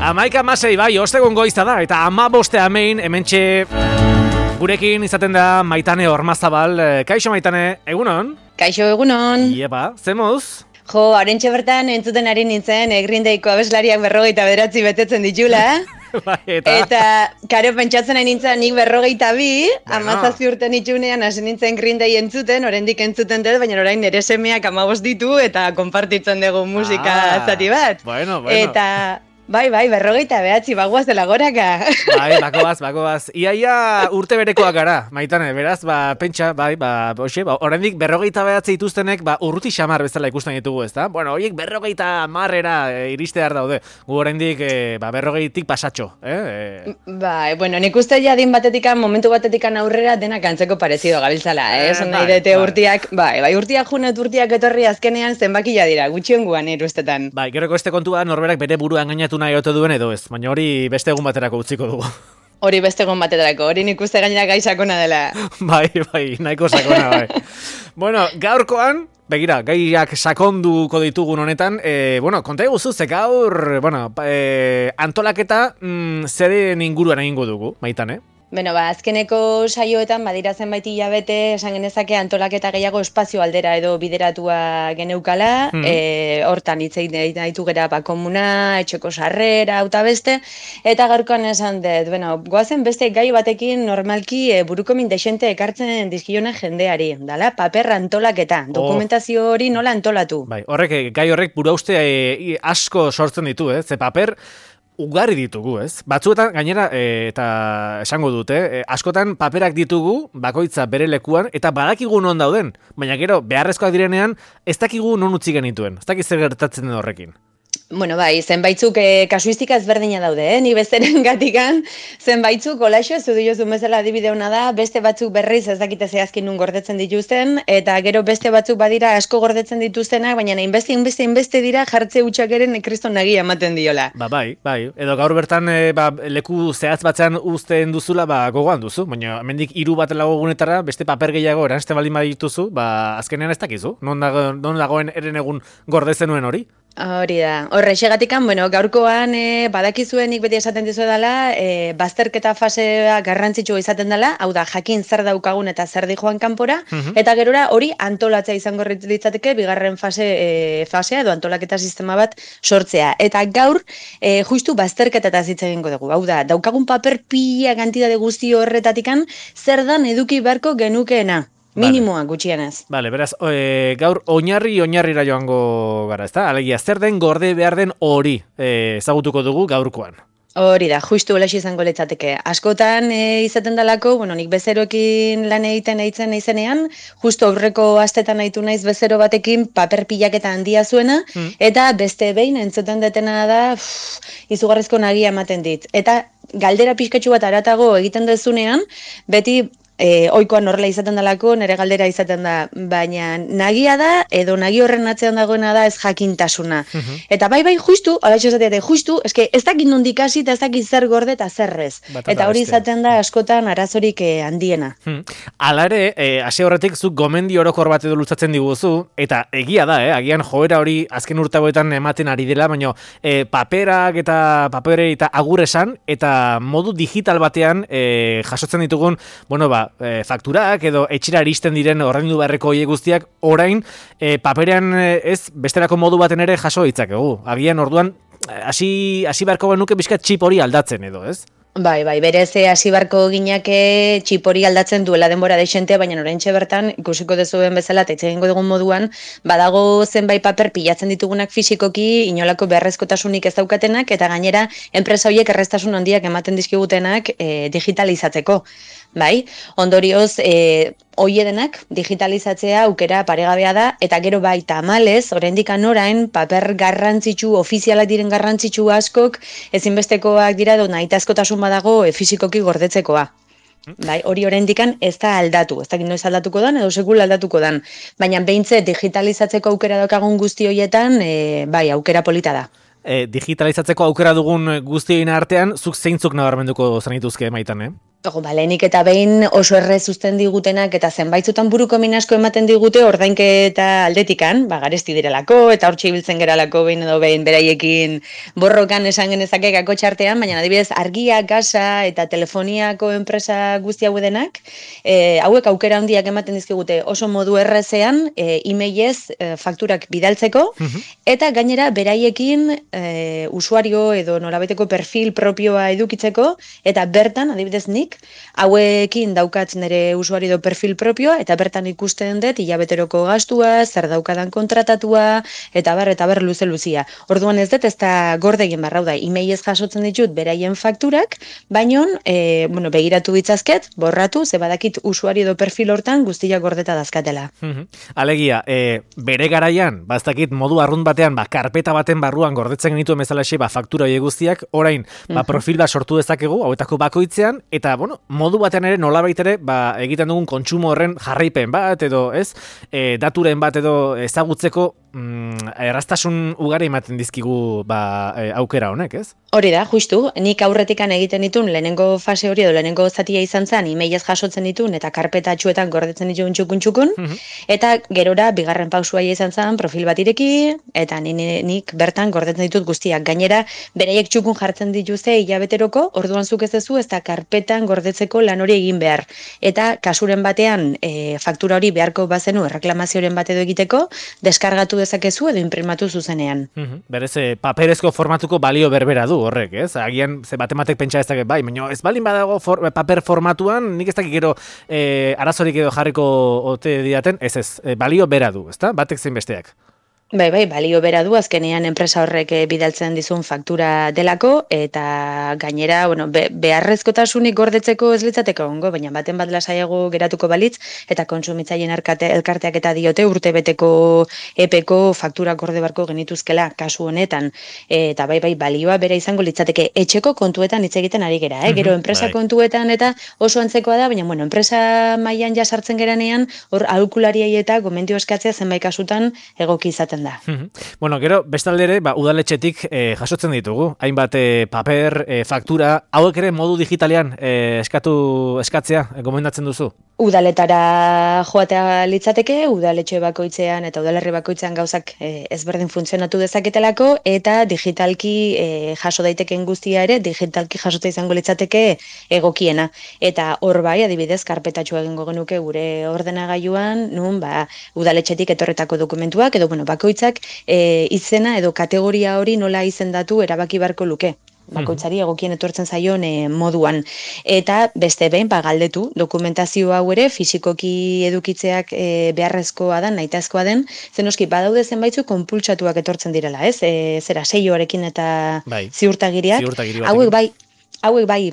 11:06 bai, ostegun goiza da, eta 15 amein, hementxe gurekin izaten da Maitane Ormazabal. Kaixo Maitane, egunon? Kaixo egunon. Iepa, zemuz? Jo, arentxe bertan entzuten ari nintzen, Green Dayko abeslariak 59 betetzen ditula. Bai, eta karo pentsatzen ari nintzen nik 52, 17 urte nitzunean hasi nintzen Green Day entzuten, oraindik entzuten dut, baina orain nire semeak 15 ditu eta konpartitzen dugu musika zati bat. Bueno. Eta bai, 59, bagoaz dela goraka. Bai, bakoaz. Iaia urte berekoak gara, Maitane, beraz, pentsa, oraindik 59 dituztenek, urruti xamar bezala ikusten ditugu, ezta? Bueno, horiek 50 iristear daude. Gu oraindik 50tik pasatxo, Bai, bueno, nik uste jadin momentu batetikan aurrera denak antzeko parezido gabiltzala, esan nahi dute urtiak, bai, urtiak junet, urtiak etorri azkenean zenbakia dira, gutxionguan irustetan. Bai, geroko este kontua norberak bere buruan gainatu nahi ote duen edo ez, baina hori beste egun baterako utziko dugu. Hori beste egun baterako, hori nik uste gainera gai sakona dela. Bai, nahiko sakona, bai. Bueno, gaurkoan, begira, gaiak sakonduko ditugun honetan, konta eguzu, ze gaur, antolaketa zeren inguruan egingo dugu, Maitane? Beno, azkeneko saioetan badira zenbait hilabete esan genezake antolaketa gehiago espazio aldera edo bideratua geneukala, hortan hitz egin ditu gera komuna, etxeko sarrera, auta beste, eta gaurkoan esan dut, goazen beste gai batekin normalki buruko min desente ekartzen dizkiona jendeari, dala, paper antolaketa, dokumentazio hori nola antolatu. Bai, gai horrek burauste asko sortzen ditu, ze paper ugari ditugu, ez? Batzuetan, gainera, eta esango dute, askotan paperak ditugu, bakoitza bere lekuan, eta badakigu non dauden. Baina gero, beharrezkoak direnean, ez dakigu non utzi genituen. Ez dakiz zer gertatzen den horrekin. Bueno, bai, zenbaitzuk kasuistika ezberdina daude, ni besteren gatikan, zenbaitzuk olaixo, zudu jozun bezala adibide hona da, beste batzuk berriz ez dakite zehazkin nun gordetzen dituzten, eta gero beste batzuk badira asko gordetzen dituztenak, baina inbeste dira jartze hutsak kriston nagia ematen diola. Bai, edo gaur bertan leku zehaz batzean uzten duzula, gogoan duzu, baina hemendik 3 bat lagunetara beste paper gehiago eranzten baldin badituzu, azkenean ez dakizu, non dagoen eren egun gordetzen nuen hori? Hori da. Horrexegatikan, gaurkoan badakizuenik beti esaten dizu dela, bazterketa fasea garrantzitsua izaten dela, hau da, jakin zer daukagun eta zer dijoan kanpora, eta gerora hori antolatzea izango litzateke bigarren fasea edo antolaketa sistema bat sortzea. Eta gaur, justu bazterketataz hitz egingo dugu. Hau da, daukagun paper pila kantitate guzti horretatikan, zer dan eduki beharko genukeena. Minimoa gutxienez. Vale, beraz, gaur oinarrira joango gara, ezta? Alegia, zer den gorde behar den hori ezagutuko dugu gaurkoan. Hori da, justu olaxi izango litzateke. Askotan izaten dalako, nik bezeroekin lan egiten naizenean, justu aurreko astetan nahitu naiz bezero batekin paper pilaketa handia zuena, eta beste behin entzuten detena da, izugarrizko nagia ematen dit. Eta galdera pixkatxu bat aratago egiten dezunean, beti oikoan horrela izaten dalako, nire galdera izaten da, baina nagia da, edo nagi horren atzean dagoena da ez jakintasuna. Eta bai, justu, alaixo esateate, justu, ez dakit nondik hasi eta ez dakit zer gorde eta zerrez. Eta hori izaten da askotan arazorik handiena. Hala ere, hasi horretik zuk gomendi orokor bat edo luzatzen diguzu, eta egia da, agian joera hori azken urtagoetan ematen ari dela, baina paperak eta agur esan, eta modu digital batean jasotzen ditugun, fakturak edo etxera iristen diren ordaindu beharreko horiek guztiak orain paperean ez besterako modu baten ere jaso ditzakegu. Agian orduan hasi beharko genuke bizkat txip hori aldatzen edo, ez? Bai, berez hasi barko ginake txip hori aldatzen duela denbora deixente, baina oraintxe bertan ikusiko dezuen bezala eta hitz egingo dugun moduan, badago zenbait paper pilatzen ditugunak fisikoki inolako beharrezkotasunik ez daukatenak eta gainera enpresa horiek erreztasun handiak ematen dizkigutenak digitalizatzeko. Bai, ondorioz, denak digitalizatzea aukera paregabea da, eta gero bai tamalez, oraindik orain paper garrantzitsu, ofizialak diren garrantzitsu askok, ezinbestekoak dira edo nahitaskotasun badago fisikoki gordetzekoa. Bai, hori oraindikan ez da aldatu, ez dakit noiz aldatuko dan edo sekula aldatuko dan, baina behintzat digitalizatzeko aukera daukagun guzti horietan, bai, aukera polita da. Digitalizatzeko aukera dugun guztien artean, zuk zeintzuk nabarmenduko zenituzke Maitan, Lehenik eta behin oso errez uzten digutenak eta zenbaitzutan buruko min asko ematen digute ordainketa aldetikan, garesti direlako eta hortxe ibiltzen geralako behin edo behin beraiekin borrokan esan genezake kakotxartean, baina adibidez argia, gasa eta telefoniako enpresa guzti hau denak, hauek aukera handiak ematen dizkigute oso modu errezean, emailez fakturak bidaltzeko, eta gainera beraiekin usuario edo nolabaiteko perfil propioa edukitzeko, eta bertan, adibidez nik, hauekin daukat nire usuario edo perfil propioa, eta bertan ikusten dut hilabeteroko gastua, zer daukadan kontratatua, eta ber luze-luzia. Orduan ez dut, ez da gorde egin barra, da, emailez jasotzen ditut beraien fakturak, baino, begiratu bitzazket, borratu, ze badakit usuario edo perfil hortan guztiak gordeta dazkatela. Alegia, bere garaian, baztakit modu arrunt batean, karpeta baten barruan gordetzen genituen bezalaxe, faktura horiek guztiak, orain, profil bat sortu dezakegu, hauetako bakoitzean, eta, modu batean ere, nolabait ere, egiten dugun kontsumo horren jarraipen bat, edo, ez, daturen bat edo ezagutzeko erraztasun ugari ematen dizkigu aukera honek, ez? Hori da, justu, nik aurretikan egiten ditun lehenengo fase hori edo lehenengo zatia izan zen, emailez jasotzen ditun eta karpetatxuetan gordetzen ditun txukun, eta gerora bigarren pausua izan zen profil bat ireki, eta nik bertan gordetzen ditut guztiak. Gainera, beraiek txukun jartzen dituzte hilabeteroko, orduan zuk ez duzu, ez da karpetan gordetzeko lan hori egin behar. Eta kasuren batean, faktura hori beharko bazenu erreklamazioren bat edo egiteko, deskargatu dezakezu edo imprimatu zuzenean. Berez, paperezko formatuko balio berbera du horrek, ez? Agian, ze batematek pentsa ez dakit, baina ez balin badago paper formatuan, nik ez dakik gero arazorik edo jarriko ote diaten, ez, balio bera du, ezta? Batek zein besteak. Bai, balio bera du, azkenean enpresa horrek bidaltzen dizun faktura delako, eta gainera, beharrezkotasunik gordetzeko ez litzateko ongo, baina baten bat lasaiago geratuko balitz, eta kontsumitzaien elkarteak eta diote urtebeteko epeko faktura gorde barko genituzkela kasu honetan, eta bai, balioa bera izango litzateke etxeko kontuetan hitz egiten ari gera, gero enpresa kontuetan eta oso antzekoa da, baina enpresa mailan ja sartzen geranean, hor aholkulariei eta gomendio eskatzea zenbait kasutan egoki izaten da. Gero, bestaldere, udaletxetik jasotzen ditugu. Hainbat paper, faktura, hauek ere modu digitalean eskatzea, gomendatzen duzu? Udaletara joatea litzateke, udaletxe bakoitzean eta udalerri bakoitzean gauzak ezberdin funtzionatu dezaketelako, eta digitalki jaso daiteken guztia ere, digitalki jasota izango litzateke egokiena. Eta hor bai, adibidez, karpetatxo egingo genuke gure ordenagailuan, nun, udaletxetik etorretako dokumentuak, edo, bakoitzak izena edo kategoria hori nola izendatu erabaki barko luke. Bakoitzari egokien etortzen zaion moduan. Eta beste behin, galdetu, dokumentazio hau ere fisikoki edukitzeak beharrezkoa da, nahitazkoa den, zenoski badaude zenbaitzu konpultsatuak etortzen direla, ez? Zera, seioarekin eta ziurtagiriak. Hauek bai,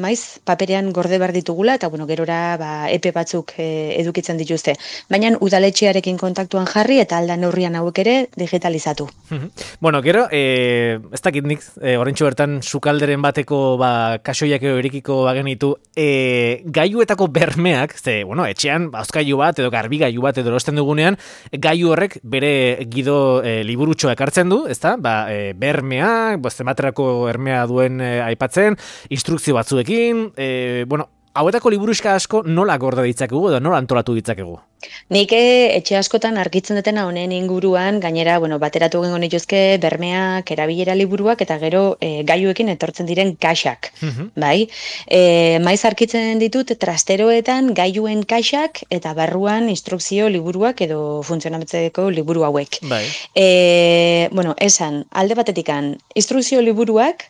maiz, paperean gorde behar ditugula, eta gerora epe batzuk edukitzen dituzte. Baina udaletxearekin kontaktuan jarri eta alda neurrian hauek ere digitalizatu. Gero, ez dakit nik, oraintxo bertan sukalderen bateko kasoiak erikiko bagenitu, gailuetako bermeak, ze, etxean, hozkailu bat edo garbigailu bat edo erosten dugunean, gailu horrek bere gido liburutxoa ekartzen du, ezta? Bermeak, zenbaterako hermea duen aipatzen, instrukzio batzuekin, hauetako liburuxka asko nola gorda ditzakegu edo nola antolatu ditzakegu? Nik etxe askotan argitzen dutena honen inguruan, gainera, bateratu gengo nituzke bermeak, erabilera liburuak, eta gero gailuekin etortzen diren kaxak, bai? Maiz argitzen ditut trasteroetan gailuen kaxak eta barruan instrukzio liburuak edo funtzionatzeko liburu hauek. Esan, alde batetikan, instrukzio liburuak,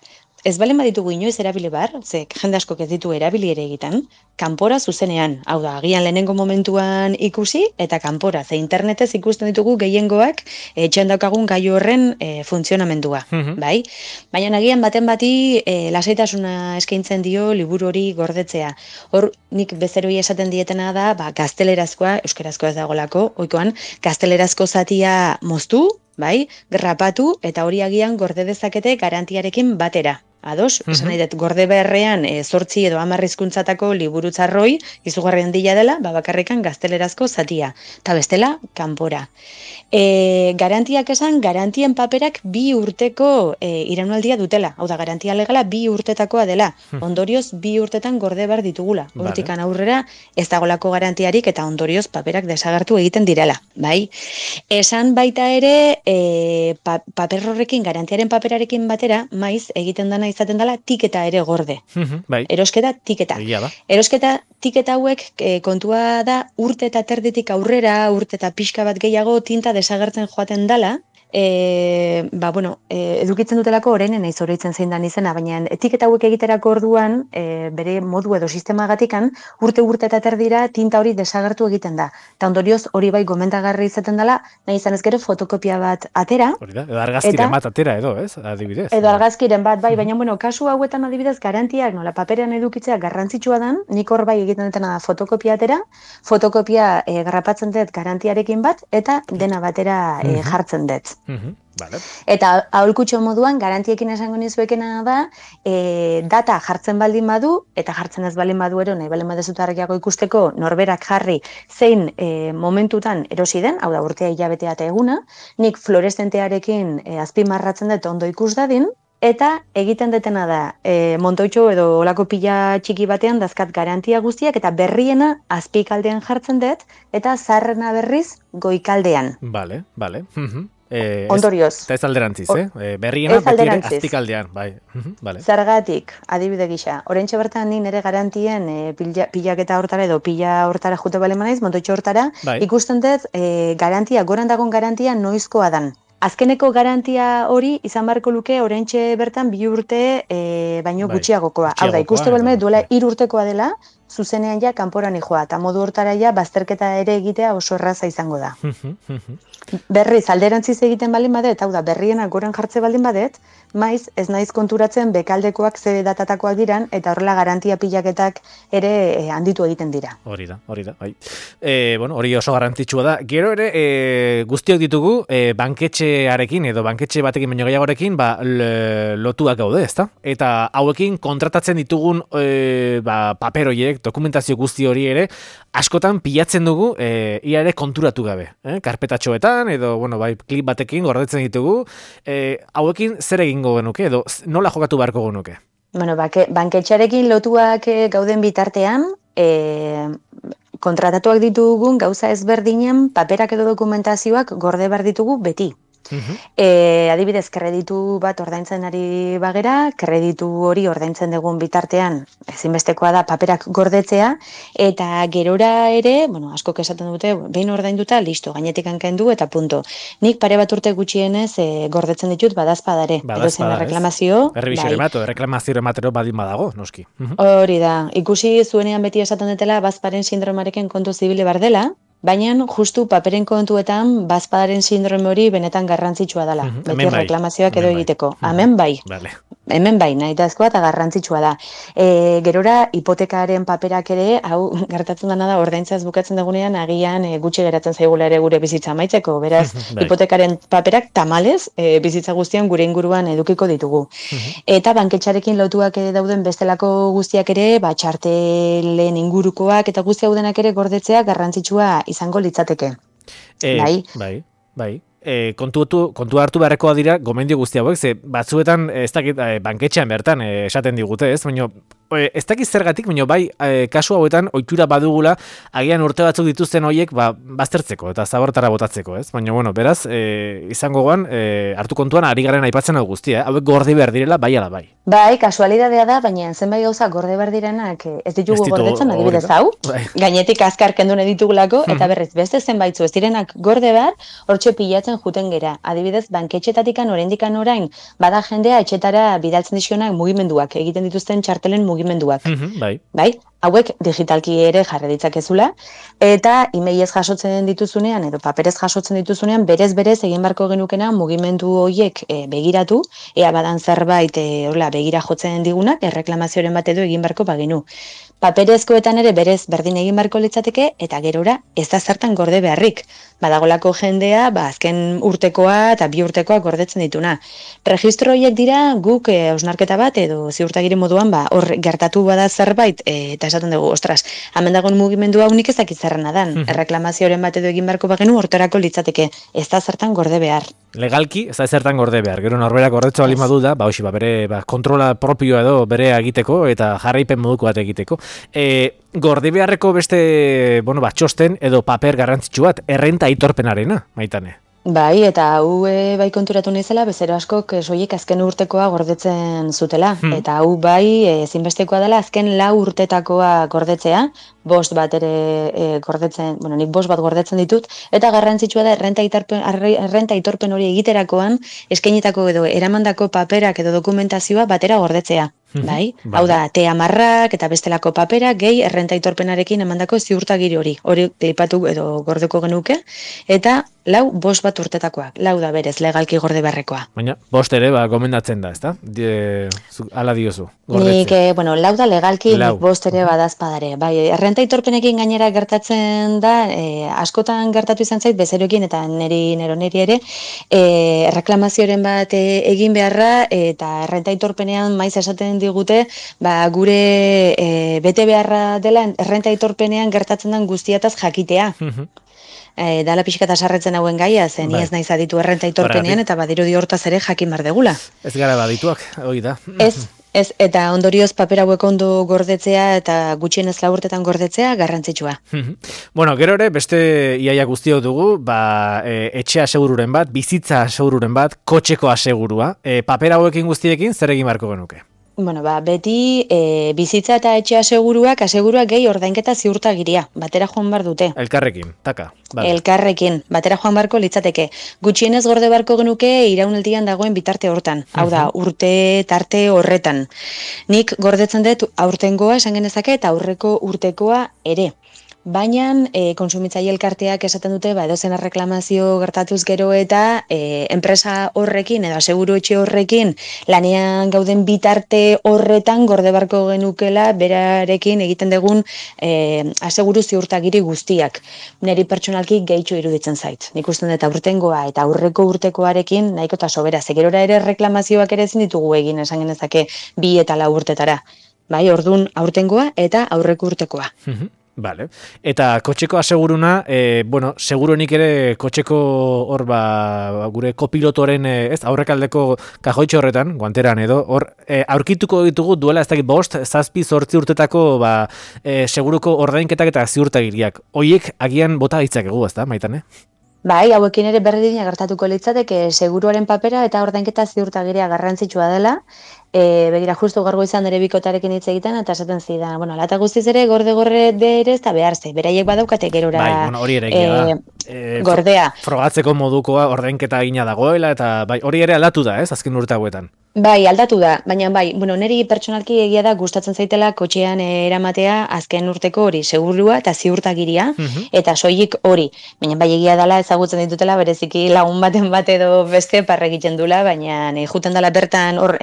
ez balen baditugu inoiz erabili bar, ze jende askok ez ditu erabili ere egiten, kanpora zuzenean, hau da, agian lehenengo momentuan ikusi, eta kanpora, ze internetez ikusten ditugu gehiengoak etxean daukagun gailu horren funtzionamendua, bai? Baina agian baten bati lasaitasuna eskaintzen dio liburu hori gordetzea. Hor, nik bezeroi esaten dietena da, gaztelerazkoa, euskerazkoa ez dagolako, oikoan, gaztelerazko zatia moztu, bai, grapatu, eta hori agian gorde dezakete garantiarekin batera. ados, esan nahi dut, gorde beharrean 8 edo 10 hizkuntzatako liburutzarroi, izugarri handia dela, bakarrikan gaztelerazko zatia, eta bestela, kanpora. Garantiak esan, garantien paperak 2 urteko iraunaldia dutela. Hau da, garantia legala 2 urtetakoa dela. Ondorioz, 2 urtetan gorde behar ditugula. Hortikan aurrera, ez dagolako garantiarik eta ondorioz paperak desagertu egiten direla. Bai? Esan baita ere, paper horrekin, garantiaren paperarekin batera, maiz egiten dana izaten dela tiketa ere gorde. Bai. Erosketa, tiketa. Erosketa, tiketa hauek kontua da urte eta terditik aurrera, urte eta pixka bat gehiago tinta desagertzen joaten dala, edukitzen dutelako orainen naiz oroitzen zein dan izena, baina etiketa hauek egiterako orduan, bere modu edo sistemagatikan, urte eta terdira tinta hori desagertu egiten da. Eta ondorioz hori bai gomendagarri izaten dela, nahi izan ez gero fotokopia bat atera. Hori da, edo argazkiren bat atera edo, ez? Adibidez. Edo argazkiren bat, bai, baina kasu hauetan adibidez garantiak, nola paperean edukitzea garrantzitsua dan, nik hor bai egiten dutena da fotokopia atera, fotokopia garrapatzen dut garantiarekin bat, eta dena batera jartzen dut. Vale. Eta aholkutxo moduan, garantiekin esango nizuekena da, data jartzen baldin badu, eta jartzen ez baldin badu ero, nahi baldin badezutarriago ikusteko norberak jarri zein momentutan erosi den, hau da urtea hilabetea eta eguna, nik fluoreszentearekin azpimarratzen dut ondo ikus dadin, eta egiten detena da, montoitxo edo olako pila txiki batean dazkat garantia guztiak, eta berriena azpikaldean jartzen dut, eta zaharrena berriz goikaldean. Vale. Ondorioz. Eta ez alderantziz, berriena beti ere azpikaldean, bai. Vale. Zergatik, adibide gisa, oraintxe bertan ni nire garantien pilaketa hortara edo pila hortara jute bale manaiz, montoitxo hortara, ikusten dut garantia, goran dagon garantia noizkoa dan. Azkeneko garantia hori izan beharko luke oraintxe bertan 2 urte baino gutxiagokoa. Hau da, ikuste belme duela 3 urtekoa dela, zuzenean ja kanporan joa, eta modu hortara ja bazterketa ere egitea oso erraza izango da. Berriz, alderantziz egiten baldin badet, hau da, berriena goran jartze baldin badet, maiz ez naiz konturatzen bekaldekoak ze datatakoak diran, eta horrela garantia pilaketak ere handitu egiten dira. Hori da, bai. Hori oso garrantzitsua da. Gero ere, guztiok ditugu, banketxearekin edo banketxe batekin baino gehiagorekin, lotuak gaude, ezta? Eta hauekin kontratatzen ditugun paper horiek, dokumentazio guzti hori ere, askotan pilatzen dugu, ia ere konturatu gabe. Karpetatxoetan, edo, klip batekin gordetzen ditugu, hauekin zer egingo genuke, edo nola jokatu beharko genuke? Banketxearekin lotuak gauden bitartean, kontratatuak ditugun gauza ezberdinen paperak edo dokumentazioak gorde behar ditugu beti. Adibidez, kreditu bat ordaintzen ari bagera, kreditu hori ordaintzen dugun bitartean ezinbestekoa da paperak gordetzea, eta gerora ere, askok esaten dute, behin ordainduta, listo, gainetik hankendu eta punto. Nik pare bat urte gutxienez gordetzen ditut badazpadare. Reklamazio. Reklamazio ematero badin badago, noski. Hori da, ikusi zuenean beti esaten dutela bazparen sindromarekin kontu zibili bardela, baina justu paperen kontuetan bazpadaren sindrome hori benetan garrantzitsua dela. Beti reklamazioak edo egiteko. Hemen bai. Hemen bai, nahi dazkoa eta garrantzitsua da. Gerora, hipotekaren paperak ere, hau gertatzen dena da, ordaintzaz bukatzen dugunean, agian gutxi geratzen zaigula ere gure bizitza amaitzeko. Beraz, hipotekaren paperak tamalez, bizitza guztian gure inguruan edukiko ditugu. Eta banketxarekin lotuak dauden bestelako guztiak ere, txartelen ingurukoak eta guzti haudenak ere gordetzea garrantzitsua izango litzateke. Bai. Kontu hartu beharrekoa dira gomendio guzti hauek, ze batzuetan ez dakit banketxean bertan esaten digute, ez? Baina ez dakit zergatik, baina bai kasu hauetan ohitura badugula agian urte batzuk dituzten horiek baztertzeko eta zabortara botatzeko, ez? Baina beraz izango goan hartu kontuan ari garen aipatzen hau guztia, hauek gorde behar direla bai ala bai. Bai, kasualidadea da, baina zenbait gauza gorde behar direnak ez ditugu gordetzen, adibidez hau, gainetik azkar kendu nahi ditugulako, eta berriz beste zenbaitzu ez direnak gorde behar, hortxe pilatzen juten gera. Adibidez, banketxetatikan oraindikan orain bada jendea etxetara bidaltzen dizkionak mugimenduak, egiten dituzten txartelen mugimenduak. Bai. Bai? hauek digitalki ere jarri ditzakezula, eta emailez jasotzen dituzunean, edo paperez jasotzen dituzunean, berez egin barko genukena mugimendu horiek begiratu, ea badan zerbait begira jotzen digunak, erreklamazioaren bat edo egin barko bagenu. Paperezkoetan ere berez berdin egin barko litzateke, eta gerora ez da zertan gorde beharrik. Badagolako jendea, azken urtekoa eta 2 urtekoa gordetzen dituna. Registro horiek dira guk hausnarketa bat edo ziurtagiri moduan hor gertatu bada zerbait eta esaten dugu, ostras, hemen dagoen mugimendu hau nik ez dakit zerrena dan. Erreklamazioaren bat edo egin beharko bagenu horterako litzateke. Ez da zertan gorde behar. Legalki, ez da zertan gorde behar. Gero norberak gordetxo bali madu da, bere kontrola propioa edo bere egiteko eta jarraipen moduko bat egiteko. Gorde beharreko beste, txosten edo paper garrantzitsu bat, errenta aitorpenarena, Maitane. Bai, eta hau bai konturatu nizela, bezero askok soilik azken urtekoa gordetzen zutela. Eta hau bai ezinbestekoa dela azken 4 urtetakoa gordetzea, 5 bat ere gordetzen, nik 5 bat gordetzen ditut, eta garrantzitsua da errenta aitorpen hori egiterakoan eskainitako edo eramandako paperak edo dokumentazioa batera gordetzea. Bai? Hau da, T10 eta bestelako paperak gehi errenta aitorpenarekin emandako ziurtagiri hori. Hori klipatu edo gordeko genuke, eta 5 bat urtetakoak. 4 da berez, legalki gorde beharrekoa. Baina, 5 ere, gomendatzen da, ezta? Ala diozu, gordetzea. Nik, 4 da legalki, nik 5 ere badazpadare. Bai, errenta aitorpenekin gainera gertatzen da, askotan gertatu izan zait, bezeroekin eta neri ere, erreklamazioaren bat egin beharra, eta errenta aitorpenean maiz esaten digute, gure bete beharra dela errenta aitorpenean gertatzen den guztiataz jakitea. Dala pixka eta sarretzen hauen gaia, zen ez naiz aditu errenta aitorpenean, eta badirudi hortaz ere jakin bar degula. Ez gara badituak, hori da. Ez, eta ondorioz paper hauek ondo gordetzea eta gutxienez 4 urtetan gordetzea garrantzitsua. Gero ere, beste iaia guztiok dugu, etxe asegururen bat, bizitza asegururen bat, kotxeko asegurua. Paper hauekin guztiekin zer egin beharko genuke? Beti bizitza eta etxe aseguruak gehi ordainketa ziurtagiria, batera joan bar dute. Elkarrekin, taka. Elkarrekin, batera joan barko litzateke. Gutxienez gorde barko genuke iraunaldian dagoen bitarte hortan. Hau da, urte tarte horretan. Nik gordetzen dut aurtengoa esan genezake eta aurreko urtekoa ere. Baina kontsumitzaile elkarteak esaten dute edozen erreklamazio gertatuz gero eta enpresa horrekin edo aseguru etxe horrekin lanean gauden bitarte horretan gorde barko genukela berarekin egiten dugun aseguru ziurtagiri guztiak. Neri pertsonalki gehitxo iruditzen zait. Nik usten dut aurtengoa eta aurreko urtekoarekin nahiko eta sobera. Gerora ere reklamazioak ere ezin ditugu egin esan genezake 2 eta 4 urtetara. Bai, ordun aurtengoa eta aurreko urtekoa. Vale. Eta kotxeko aseguruna, seguruenik ere kotxeko hor gure kopilotoren aurrekaldeko kajoitxo horretan, guanteran edo, hor aurkituko ditugu duela ez dakit 5, 7, 8 urtetako seguruko ordainketak eta ziurtagiriak. Hoiek agian bota ditzakegu, ezta, Maitane? Bai, hauekin ere berdina gertatuko litzateke seguruaren papera eta ordainketa ziurtagiria garrantzitsua dela. Begira, justu gaur goizan ere bikotarekin hitz egiten, eta esaten zidan, alata guztiz ere gorde ere ez da beharze. Beraiek badaukate gerora hori ere gordea. Frogatzeko modukoa ordainketa egina dagoela, eta hori ere aldatu da, ez, azken urte hauetan. Bai, aldatu da, baina niri pertsonalki egia da gustatzen zaitela kotxean eramatea azken urteko hori segurua eta ziurtagiria, eta soilik hori. Baina egia dela ezagutzen ditutela bereziki lagun baten bat edo beste parre egiten dula, baina juten dela bertan hor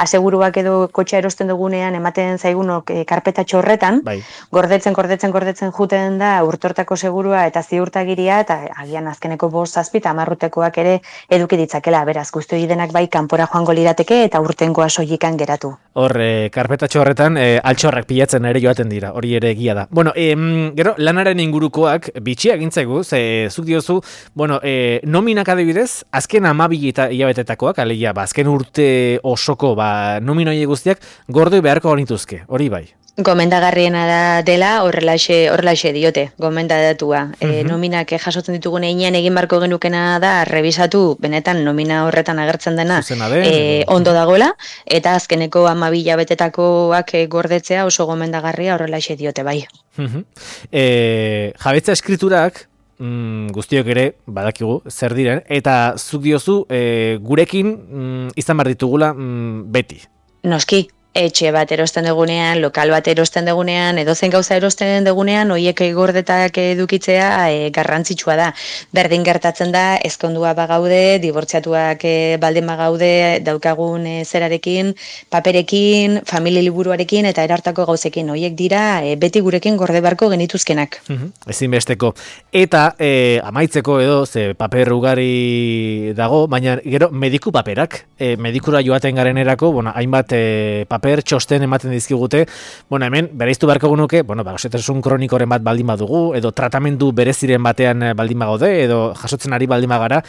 aseguruak edo kotxea erosten dugunean ematen zaigunok karpetatxo horretan, gordetzen juten da urtortako segurua eta ziurtagiria, eta agian azkeneko 5, 7 eta 10 urtekoak ere eduki ditzakela, beraz, guzti denak kanpora joango lirateke eta urtengoa soilikan geratu. Hor, karpetatxo horretan altxorrak pilatzen ere joaten dira, hori ere egia da. Gero, lanaren ingurukoak bitxia gintzaigu, zuk diozu, nominak adibidez, azken 12 hilabetetakoak, alegia, azken urte osoko nominoie guztiak gorde beharko genituzke, hori bai. Gomendagarriena dela horrelaxe diote, gomendadatua. Nominak jasotzen ditugun einean egin barko genukena da revisatu benetan nomina horretan agertzen dena ondo dagoela, eta azkeneko 12 hilabetetakoak gordetzea oso gomendagarria horrelaxe diote bai. Jabetza eskriturak guztiok ere badakigu zer diren, eta zuk diozu gurekin izan behar ditugula beti. Noski, etxe bat erosten dugunean, lokal bat erosten dugunean, edozein gauza erosten dugunean, hoiek gordetak edukitzea garrantzitsua da. Berdin gertatzen da, ezkondua bagaude, dibortziatuak baldin bagaude, daukagun zerarekin, paperekin, familia liburuarekin eta erartako gauzekin. Hoiek dira beti gurekin gorde beharko genituzkenak. Ezinbesteko. Eta amaitzeko edo, ze paper ugari dago, baina gero mediku paperak, medikura joaten garenerako, bueno, hainbat paper txosten ematen dizkigute, bueno, hemen bereiztu beharko genuke, bueno, gaixotasun kronikoren bat baldin badugu, edo tratamendu bereziren batean baldin bagaude, edo jasotzen ari baldin bagara,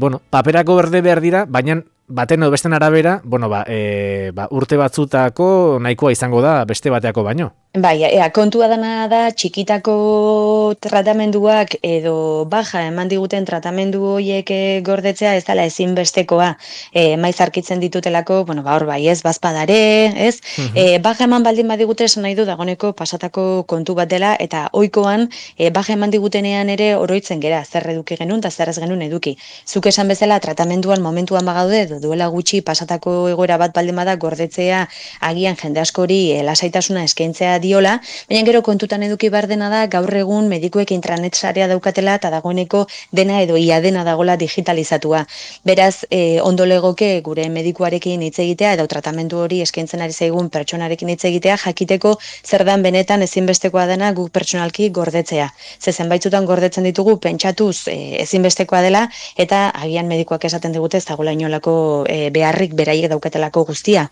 bueno, paperako berde behar dira, baina baten edo besten arabera, bueno, urte batzutako nahikoa izango da beste bateako baino. Bai, kontua dana da txikitako tratamenduak edo baja eman diguten tratamendu horiek gordetzea ez dela ezinbestekoa. Maiz arkitzen ditutelako, bueno, hor bai, ez, bazpadare, ez? Baja eman baldin badigute esan nahi du dagoneko pasatako kontu bat dela, eta ohikoan baja eman digutenean ere oroitzen gera, zer eduki genuen eta zer ez genuen eduki. Zuk esan bezala tratamenduan momentuan bagaude, duela gutxi pasatako egoera bat baldin bada gordetzea agian jende askori lasaitasuna eskaintzea diola, baina gero kontutan eduki behar dena da gaur egun medikuek intranet sarea daukatela eta dagoeneko dena edo ia dena dagola digitalizatua. Beraz, ondo legoke gure medikuarekin hitz egitea edo tratamendu hori eskaintzen ari zaigun pertsonarekin hitz egitea jakiteko zer dan benetan ezinbestekoa dena guk pertsonalki gordetzea. Ze zenbaitzutan gordetzen ditugu pentsatuz ezinbestekoa dela eta agian medikuak esaten digute ez dagoela inolako beharrik beraiek daukatelako guztia.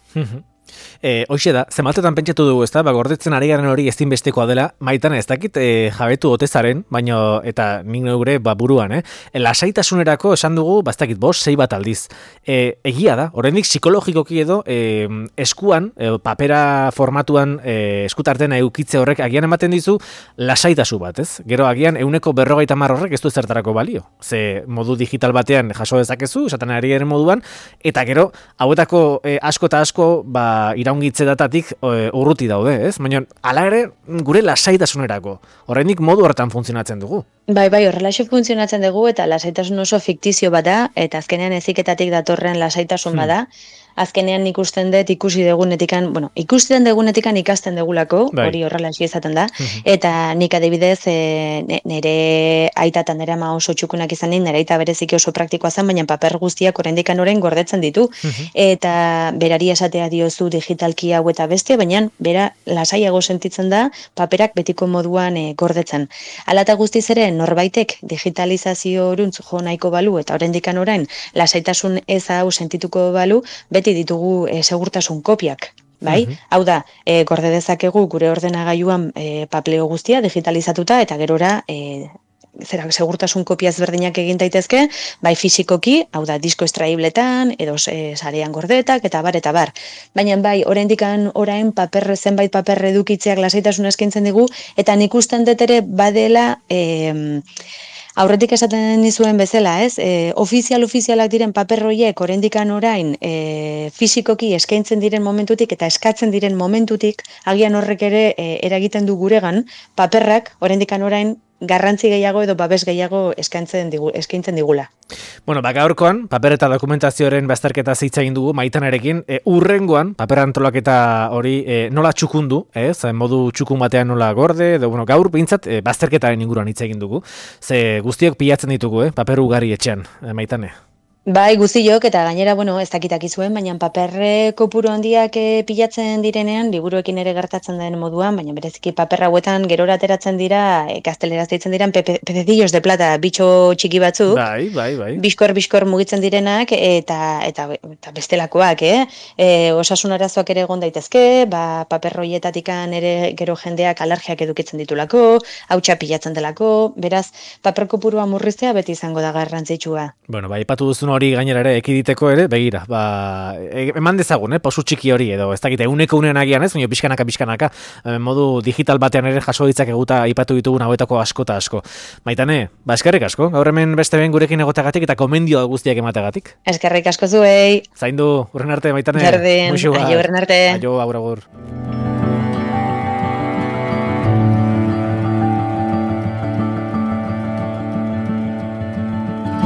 Hoxe da, zenbatetan pentsatu dugu, ezta? Gordetzen ari garen hori ezinbestekoa dela, Maitane, ez dakit jabetu otezaren, baina eta nik neure buruan, lasaitasunerako esan dugu, ez dakit 5-6 bat aldiz. Egia da, oraindik psikologikoki edo eskuan, papera formatuan eskutarten eukitze horrek agian ematen dizu lasaitasu bat, ez? Gero agian 150 horrek ez du zertarako balio. Ze modu digital batean jaso dezakezu, esaten ari garen moduan, eta gero hauetako asko eta asko iraungitze datatik urruti daude, ez? Baina, hala ere, gure lasaitasunerako. Oraindik modu hortan funtzionatzen dugu. Bai, horrelaxe funtzionatzen dugu eta lasaitasun oso fiktizio bada, eta azkenean eziketatik datorren lasaitasun bada. Azkenean ikusten dugunetikan, bueno, ikusten dugunetikan ikasten degulako, hori horrelaxe izaten da, eta nik adibidez nire aita eta nire ama oso txukunak izan nire aita bereziki oso praktikoa zen, baina paper guztiak oraindik orain gordetzen ditu, eta berari esatea diozu digitalki hau eta beste, baina bera lasaiago sentitzen da paperak betiko moduan gordetzen. Hala eta guztiz ere norbaitek digitalizazio horuntz jo nahiko balu eta oraindik orain lasaitasun ez hau sentituko balu, beti ditugu segurtasun kopiak, bai? Hau da, gorde dezakegu gure ordenagailuan papeleo guztia digitalizatuta eta gerora segurtasun kopia ezberdinak egin daitezke, bai fisikoki, hau da, disko estraibletan, edo sarean gordetak, eta bar. Baina bai, oraindik orain zenbait paper edukitzeak lasaitasun eskaintzen digu, eta nik usten dut ere badela aurretik esaten dizuen bezala, ez? Ofizialak diren paper horiek oraindik orain fisikoki eskaintzen diren momentutik eta eskatzen diren momentutik agian horrek ere eragiten du guregan paperrak oraindik orain garrantzi gehiago edo babes gehiago eskaintzen digula. Bueno, gaurkoan, paper eta dokumentazioaren bazterketa hitz egin dugu Maitanerekin, urrengoan, paper antolaketa hori nola txukundu, modu txukun batean nola gorde, edo gaur behintzat bazterketaren inguruan hitz egin dugu. Ze guztiok pilatzen ditugu, paper ugari etxean, Maitane. Bai, guztiok, eta gainera, ez dakitak izuen, baina paper kopuru handiak pilatzen direnean, liburuekin ere gertatzen den moduan, baina bereziki paper hauetan gerora ateratzen dira, gazteleraz deitzen diren pececillos de plata, bitxo txiki batzuk. Bai. Biskor mugitzen direnak, eta bestelakoak, osasun arazoak ere egon daitezke, paper horietatikan ere gero jendeak alergiak edukitzen ditulako, hautsa pilatzen delako, beraz, paper kopurua murriztea beti izango da garrantzitsua. Bueno, aipatu duzun hori gainera ere ekiditeko ere, begira, eman dezagun, pausu txiki hori edo, ez dakite, unean agian ez, baina pixkanaka, modu digital batean ere jaso ditzak eguta aipatu ditugun hauetako asko eta asko. Maitane, eskerrik asko, gaur hemen beste ben gurekin egotagatik eta komendio guztiak emategatik. Eskerrik asko zuei. Zaindu, urren arte, Maitane. Berdin, aio urren arte. Aio, agur.